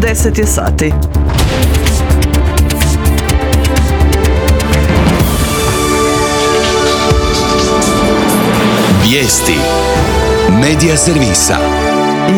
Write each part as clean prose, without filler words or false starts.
10 je sati. Vijesti Medija servisa.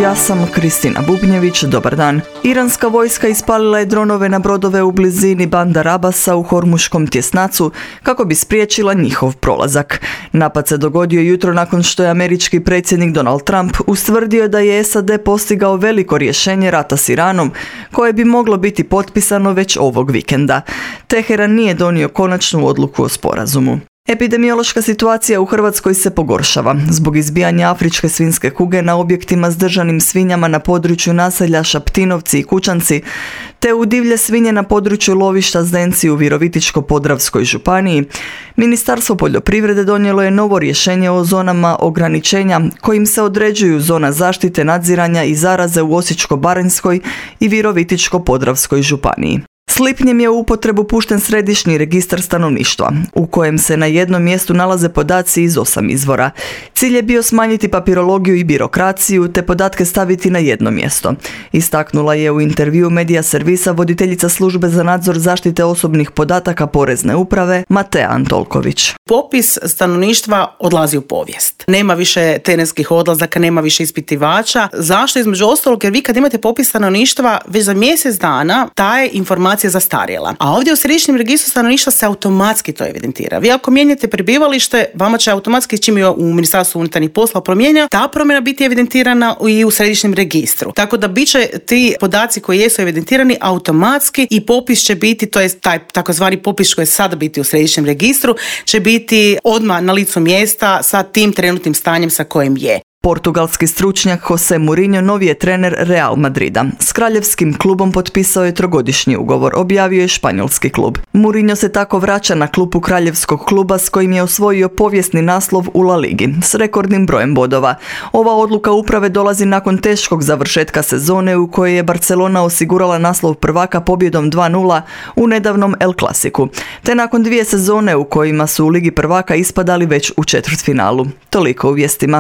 Ja sam Kristina Bubnjević, dobar dan. Iranska vojska ispalila je dronove na brodove u blizini Bandar Abasa u Hormuškom tjesnacu kako bi spriječila njihov prolazak. Napad se dogodio jutro nakon što je američki predsjednik Donald Trump ustvrdio da je SAD postigao veliko rješenje rata s Iranom koje bi moglo biti potpisano već ovog vikenda. Teheran nije donio konačnu odluku o sporazumu. Epidemiološka situacija u Hrvatskoj se pogoršava zbog izbijanja afričke svinjske kuge na objektima s držanim svinjama na području naselja Šaptinovci i Kučanci, te u divlje svinje na području lovišta Zdenci u Virovitičko-podravskoj županiji. Ministarstvo poljoprivrede donijelo je novo rješenje o zonama ograničenja kojim se određuju zona zaštite, nadziranja i zaraze u Osječko-baranjskoj i Virovitičko-podravskoj županiji. S lipnjem je u upotrebu pušten središnji registar stanovništva, u kojem se na jednom mjestu nalaze podaci iz 8 izvora. Cilj je bio smanjiti papirologiju i birokraciju, te podatke staviti na jedno mjesto. Istaknula je u intervjuu Medija servisa voditeljica službe za nadzor zaštite osobnih podataka Porezne uprave, Matea Antolković. Popis stanovništva odlazi u povijest. Nema više terenskih odlazaka, nema više ispitivača. Zašto? Između ostalog, jer vi kad imate popis stanovništva, već za mjesec dana ta je informacija zastarjela. A ovdje u središnjem registru stanovništva se automatski to evidentira. Vi ako mijenjate prebivalište, vama će automatski, čim je u Ministarstvu unutarnjih poslova promijenio, ta promjena biti evidentirana i u središnjem registru. Tako da bit će ti podaci koji jesu evidentirani automatski i popis će biti, to je taj takozvani popis koji je sada biti u središnjem registru, će biti odmah na licu mjesta sa tim trenutnim stanjem sa kojim je. Portugalski stručnjak Jose Mourinho novi je trener Real Madrida. S kraljevskim klubom potpisao je 3-godišnji ugovor, objavio je španjolski klub. Mourinho se tako vraća na klupu kraljevskog kluba s kojim je osvojio povijesni naslov u La Ligi s rekordnim brojem bodova. Ova odluka uprave dolazi nakon teškog završetka sezone u kojoj je Barcelona osigurala naslov prvaka pobjedom 2-0 u nedavnom El Clasicu, te nakon 2 sezone u kojima su u Ligi prvaka ispadali već u četvrtfinalu. Toliko u vijestima.